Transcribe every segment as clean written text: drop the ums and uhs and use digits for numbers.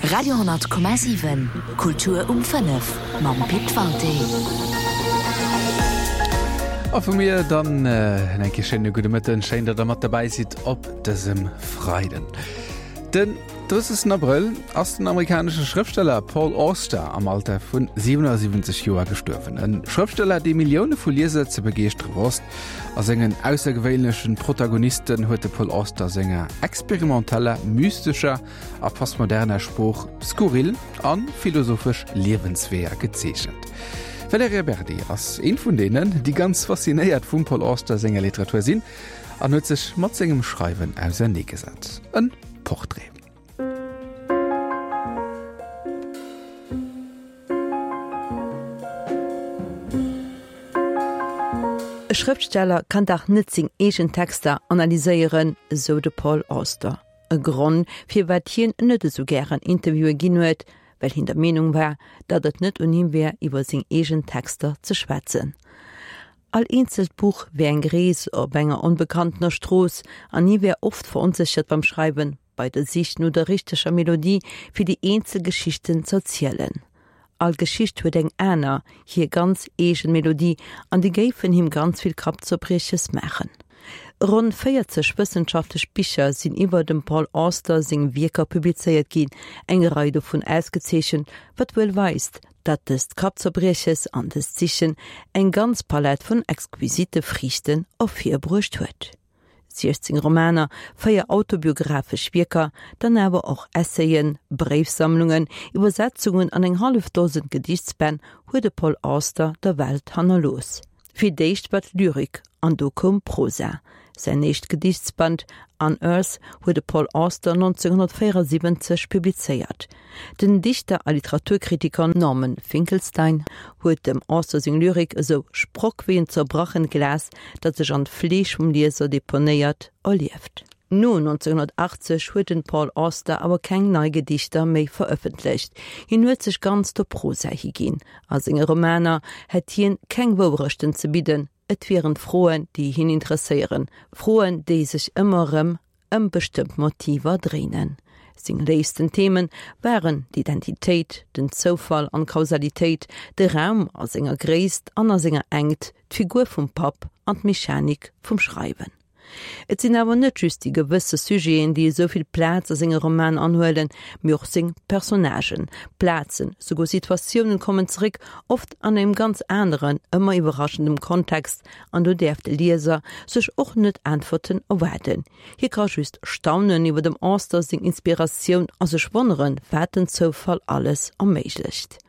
Radio 10,7 Kultur um 5 mam Pit Walté. A vu mir dann äh, eng Kéier schéine gudde Mëtten, schéin, datt der mat derbäi sidd op dësem Freiden. Den 30. Abrëll ass den amerikanesche Schrëftsteller Paul Auster am Alter vun 77 Joer gestuerwen. E Schrëftsteller, dee Millioune vu Lieser ze begeeschtere wosst. A sengen aussergewéinlechen Protagonisten huet de Paul Auster senger experimenteller, mystescher a postmoderner Sprooch skurril a philosophesch Liewensweeër gezeechent. D'Valerija Berdi ass eent vun deenen, déi ganz faszinéiert vum Paul Auster senger Literatur sinn an huet sech mat sengem Schreiwen auserneegesat. En Portrait. E Schrëftsteller kann dach net seng eegen Texter analyséieren, esou de Paul Auster. E Grond, firwat hien net esou gären Interviewe ginn huet, well hien der Meenung war, datt et net un him wär, iwwer seng eegen Texter ze schwätzen. All eenzelt Buch wär eng Rees op enger onbekanntener Strooss an hie wär oft veronséchert beim Schreiwen, bei der Sich no der richteger Melodie, fir déi eenzel Geschichten z'erzielen. All Geschicht huet eng aner, hir ganz eegen Melodie an déi géifen him ganz vill Kappzerbrieches maachen. Ronn 40 wëssenschaftlech Bicher sinn iwwer dem Paul Auster seng Wierker publizéiert ginn, eng Rei dovun ausgezeechent, wat wuel weist, datt dëst Kappzerbrieches an dëst Sichen eng ganz Palett vun exquisite Friichten ervirbruecht huet. 16 Romaner, 4 autobiographesch Wierker, dann awer och Essayen, Bréifsammlungen, Iwwersetzungen an eng hallef Dosen Gedichtsbänn huet de Paul Auster der Welt hannerlooss. Fir d'éischt war d'Lyrik an do koum d'Prosa. Säin éischt Gedichtsband Unearth huet de Paul Auster 1974 publizéiert. Den Dichter a Literaturkritiker Norman Finkelstein huet dem Auster seng Lyrik esou sprock wéi en zerbrachent Glas, dat sech an d'Fleesch vum Lieser deponéiert, erlieft. No 1980 huet den Paul Auster awer keng nei Gedichter méi verëffentlecht. Hien huet sech ganz der Prosa higinn. A senge Romaner hätt hien keng Wourechten ze bidden, et wieren d'Froen, déi hien interesséieren, Froen, déi sech ëmmer erëm ëm bestëmmt Motiver dréinen. Seng léifsten Themen waren d'Identitéit, den Zoufall an d'Kausalitéit, de Raum a senger Gréisst an a senger Engt, d'Figur vum Papp an d'Mechanik vum Schreiwen. Et sinn awer net just déi gewësse Sujeten, déi esou vill Plaz a senge Romanen anhuelen, mee och seng Personnagen, Plazen, souguer Situatiounen kommen zeréck, oft an engem ganz aneren, ëmmer iwwerraschendem Kontext, An do däerf de Lieser sech och net Äntwerten erwaarden. Hie ka just staunen iwwer dem Auster seng Inspiratioun a sech wonneren, wat den Zoufall alles erméiglecht.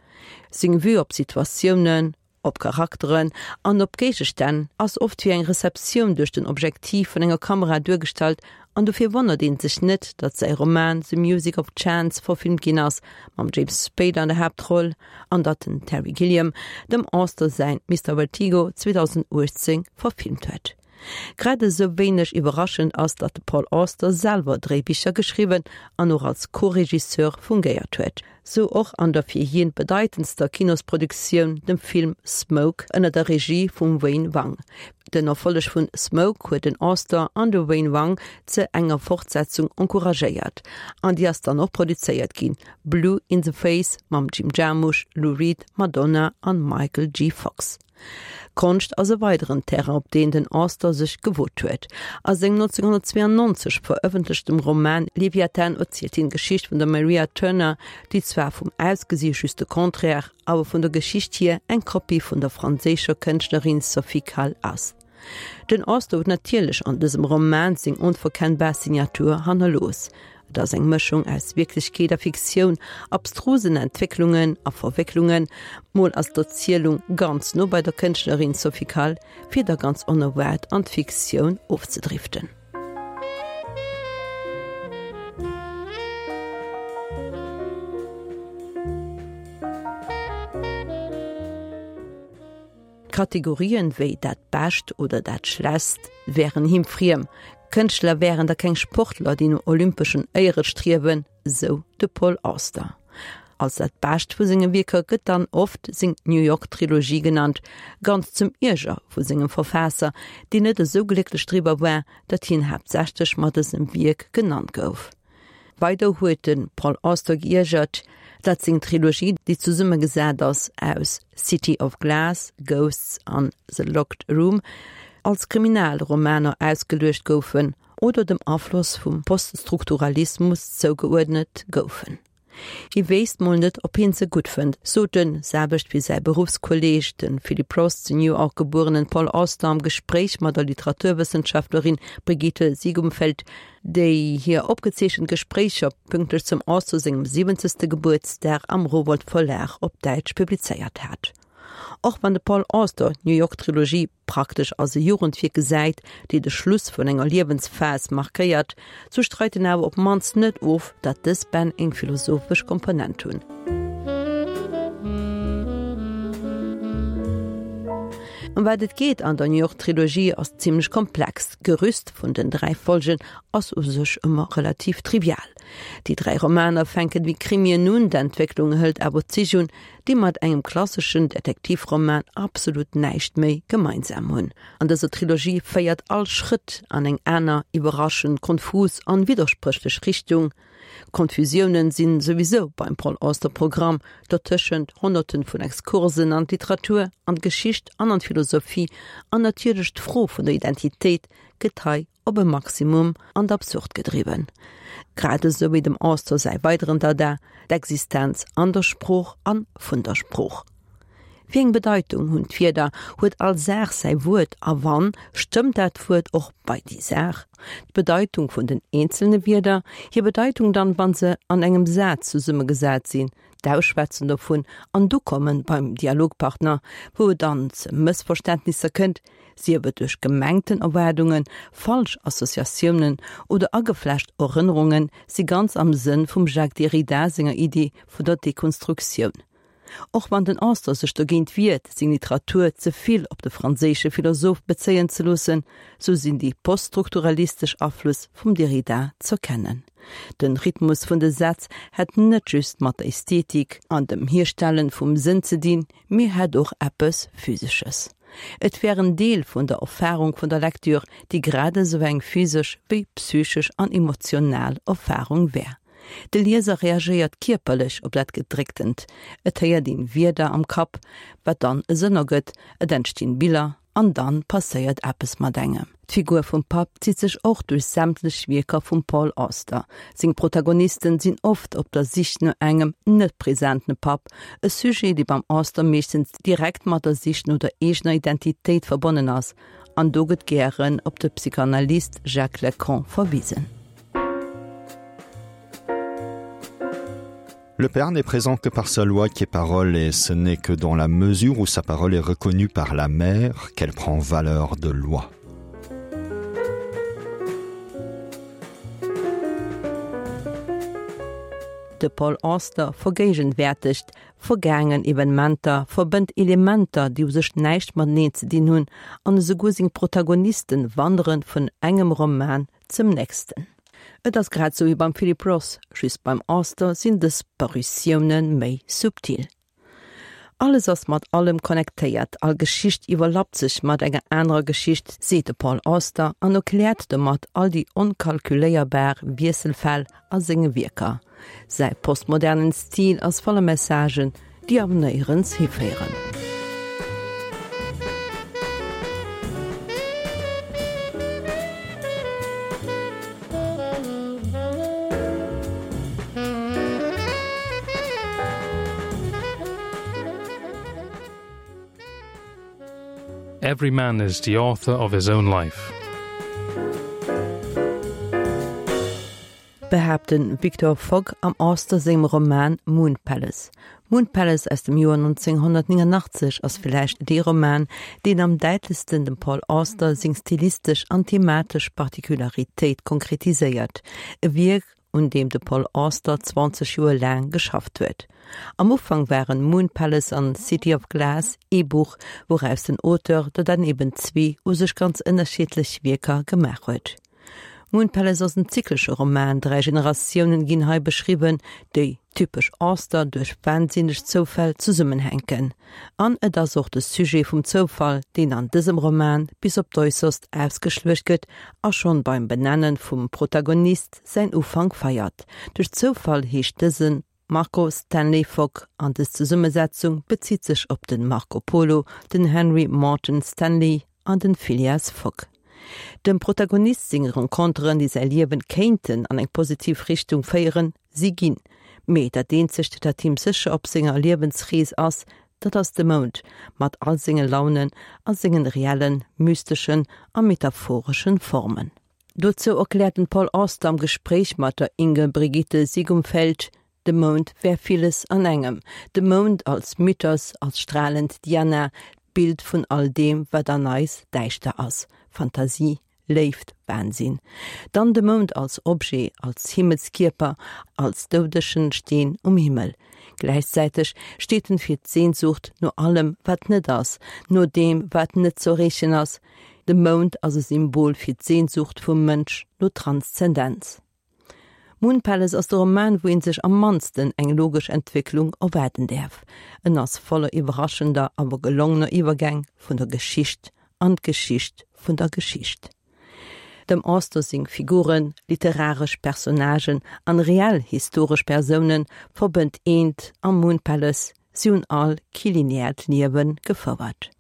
Seng Vue op Situatiounen, op Charakteren an op Géigestänn ass oft wéi eng Receptioun duerch den Objektiv vun enger Kamera duergestallt An dofir wonnert een sech net, datt säi Roman The Music of Chance verfilmt ginn ass, mam James Spader an der Haaptroll, an datt den Terry Gilliam dem Auster säin Mister Vertigo 2018 verfilmt huet. Grad esou wéineg iwwerraschend ass, datt de Paul Auster selwer Dréibicher geschriwwen an och als Co-Regisseur fungéiert huet. Sou och an der fir hien bedeitendster Kinosproduktioun, dem Film Smoke ënner der Regie vum Wayne Wang. Den Erfolleg vun Smoke huet den Auster an de Wayne Wang ze enger Fortsetzung encouragéiert, an déi ass dann och produzéiert ginn, Blue in the Face mam Jim Jarmusch, Lou Reed, Madonna an Michael J. Fox. Konscht ass e weideren Terrain, op deen den Auster sech gewot huet. A sengem 1992 verëffentlechtem Roman Leviathan erzielt hien d'Geschicht vun der Maria Turner, déi zwar vum Ausgesi just de Contraire, awer vun der Geschicht hier eng Kopie vun der franséischer Kënschtlerin Sophie Calle ass. Den Auster huet natierlech an dësem Roman seng onverkennbar Signatur hannerlooss. Et ass eng Mëschung aus Wierklechkeet a Fiktioun, abstrusen Entwécklungen a Verwécklungen. Mol ass d'Erzielung ganz no bei der Kënschtlerin Sophie Calle, fir da ganz onerwaart an d'Fiktioun ofzedriften. Kategorien wéi dat Bescht oder dat Schlechst wären him friem. Kënschtler wären da keng Sportler, déi no olympeschen Éiere striewen, sou de Paul Auster. Als dat Bescht vu senge Wierker gëtt dann oft seng New York Trilogie genannt, ganz zum Ierger vu sengem Verfaasser, deen net esou glécklech driwwer war, datt hien haaptsächlech mat dësem Wierk genannt gouf. Weider huet de Paul Auster geiergert, datt seng Trilogie, déi zesummegesat ass aus City of Glass, Ghosts an The Locked Room, als Kriminalromaner ausgeluecht goufen oder dem Afloss vum Poststrukturalismus zougeuerdnet goufen. Hie wéisst mol net, ob hien se gutt fënnt, sot den, selwecht wéi säi Beruffskolleeg, de Philip Roth, zu New York gebuerenen Paul Auster am Gespréich mat der Literaturwëssenschaftlerin Brigitte Siegumfeldt, déi hir opgezeechent Gespréicher pünktlech zum Auster sengem siwwenzegste Gebuertsdag am Rowohlt Verlag op Däitsch publizéiert hat. Och wann de Paul Auster d'New York Trilogie praktesch als e Jugendwierk gesäit, déi de Schluss vun enger Liewensphas markéiert, sou streit en awer op d'mannst net of, datt dës Bänn eng philosophesch Komponent hunn. Ëm wat et geet an der New York Trilogie ass zimmlech komplex. D'Gerüst vun den 3 Folgen ass u sech ëmmer relativ trivial. Déi 3 Romaner fänken wéi Krimien un, d'Entwécklung hëlt awer Zich un, déi mat engem klasseschen Detektivroman absolut näischt méi gemeinsam hunn. An dëser Trilogie féiert all Schrëtt an eng aner, iwwerraschend, konfus an widderspréchlech Richtung. Konfusiounen sinn souwisou beim Paul Auster Programm, dertëschent honnerten vun Exkursen an d'Literatur, an d'Geschicht an an d'Philosophie an natierlech d'Fro vun der Identitéit gëtt hei op e Maximum an d'Absurd gedriwwen, grad esou wéi dem Auster säi weideren Dada, d'Existenz an der Sprooch an vun der Sprooch. Wéi eng Bedeitung hunn d'Wierder? Huet all Saach säi Wuert a wann, stëmmt dat Wuert och bei déi Saach? D'Bedeitung vun den eenzelne Wierder, hir Bedeitung dann, wann se an engem Saz zesummegesat sinn, d'Ausschwätzen dovun an d'Ukommen beim Dialogpartner, wou et dann ze Mëssverständnisser kënnt, sief et duerch gemengten Erwaardungen, falsch Associatiounen oder ageflecht Erënnerungen, si ganz am Sënn vum Jacques Derrida senger Idee vun der Dekonstruktioun. Och wann den Auster sech dogéint wiert, seng Literatur ze vill op de franséische Philosoph bezéien ze loossen, sou sinn déi poststrukturalistesch Aflëss vum Derrida z'erkennen. Den Rhythmus vun de Sätz hätt net just mat der Ästhetik an dem Hierstellen vum Sënn ze dinn, mee hätt och eppes Physesches. Et wär en Deel vun der Erfarung vun der Lektür, déi grad esou eng physesch wéi psychesch an emotional Erfarung wär. De Lieser reagéiert kierperlech op dat Gedrécktent, et héiert een Wierder am Kapp, wat dann e Sënn ergëtt, et entstinn Biller an dann passéiert eppes mat engem. D'Figur vum Papp zitt sech och duerch sämtlech Wierker vum Paul Auster. Seng Protagonisten sinn oft op der Sich no engem net presenten Papp, e Sujet, dee beim Auster meeschtens direkt mat der Sich no der eegener Identitéit verbonnen ass, an do gëtt gären op de Psychanalyst Jacques Lacan verwisen. Le père n'est présent que par sa loi qui est parole et ce n'est que dans la mesure où sa parole est reconnue par la mère qu'elle prend valeur de loi. De Paul Auster vergéigenwäertegt vergaangen Evenementer, verbënnt Elementer, déi u sech näischt mateneen ze dinn hunn, an esouguer seng Protagonisten wandere vun engem Roman zum nächsten. Et ass grad sou wéi beim Philip Roth, just beim Auster sinn dës Parutioune méi subtil. Alles ass mat allem connectéiert, all Geschicht iwwerlappt sech mat enger anerer Geschicht, seet de Paul Auster an erkläert domat all déi onkalkuléierbar Wiesselfäll a senge Wierker. Säi postmodernen Stil ass voller Messagen, déi awer néierens hiféieren. Every man is the author of his own life. Behaapt de Victor Fogg am Auster sengem Roman Moon Palace. Moon Palace aus dem Joer 1989 ass villäicht dee Roman, deen am däitlechsten dem Paul Auster seng stilistesch an thematesch Particularitéit konkretiséiert, e Wierk, un deem de Paul Auster 20 Joer laang geschafft huet. Am Ufank waren Moon Palace an City of Glass ee Buch, wouraus den Auteur der dann eben zwee u sech ganz ënnerschiddlech Wierker gemaach huet. Moon Palace ass en zyklesche Roman, 3 Generatiounen ginn hei beschriwwen, déi, typesch Auster, duerch wahnsinneg Zoufäll zesummenhänken. An et ass och de Sujet vum Zoufall, deen an dësem Roman bis op d'Äusserst ausgeschluecht gëtt a schonn beim Benennen vum Protagonist säin Ufank feiert. Duerch Zoufall heescht dësen Marco Stanley Fogg an dës Zesummesetzung bezitt sech op den Marco Polo, den Henry Morton Stanley an den Phileas Fogg. Dem Protagonist seng Renconteren, déi säi Liewen kéinten an eng positiv Richtung féieren, si ginn. Mee dat eenzegt, dat him sécher op senger Liewensrees ass, dat ass de Mound, mat all senge Launen a sengen reellen, mysteschen a metaphoreschen Formen. Dozou erkläert den Paul Auster am Gespréich mat der Inge Brigitte Siegumfeldt, De Mound wär villes an engem. De Mound als Mythos, als stralend Diana, d'Bild vun all deem, wat an eis däischter ass, Fantasie, Léift, Wahnsinn. Dann de Mound als Objet, als Himmelskierper, als doudegen Steen um Himmel. Gläichzäiteg steet en fir d'Sehnsucht no allem, wat net ass, no deem, wat net z'erreechen ass, De Mound ass e Symbol fir d'Sehnsucht vum Mënsch no Transzendenz. Moon Palace ass de Roman, wou een sech am mannsten eng logesch Entwécklung erwaarden däerf. En ass voller iwwerraschender, awer gelongener Iwwergäng vun der Geschicht an d'Geschicht vun der Geschicht. Dem Auster seng Figuren, literaresch Personnagen an reell historesch Persounen, verbënnt eent am Moon Palace, si hunn all kee lineäert Liewe gefouert.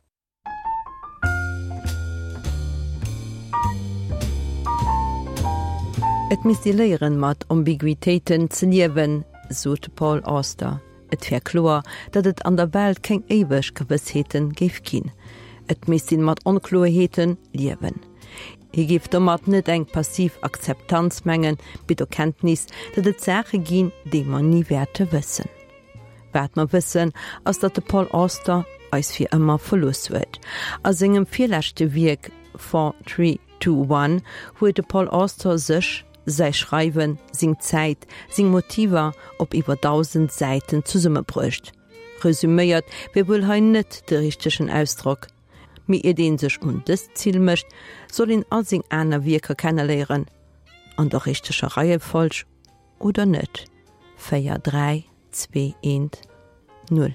Et misst ee léieren, mat Ambiguitéiten ze liewen, sot de Paul Auster. Et wär kloer, datt et an der Welt keng éiweg Gewëssheete géif ginn. Et misst een mat Onkloerheete liewen. Hie géif domat net eng passiv Akzeptanz mengen, mee d'Erkenntnis, datt et Saache ginn, déi mer ni wäerte wëssen. Wat mer wëssen, ass datt de Paul Auster eis fir ëmmer verlooss huet. A sengem virleschte Wierk 4, 3, 2, 1 huet de Paul Auster sech, säi Schreiwen, seng Zäit, seng Motiver op iwwer 1.000 Säiten zesummebruecht. Resüméiert wier wuel hei net de richtegen Ausdrock, mee iert ee sech un dëst Zil mécht, soll een all seng aner Wierker kenneléieren, an der richteger Reiefolg oder net? 4, 3, 2, 1, 0.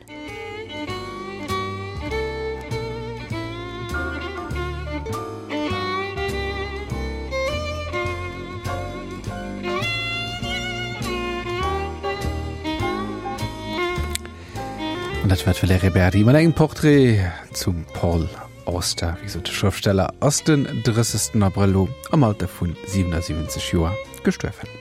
An dat war d'Valerija Berdi mat engem Portrait zum Paul Auster. Wéi gesot, de Schrëftsteller ass den 30. Abrëll lo am Alter vun 77 Joer gestuerwen.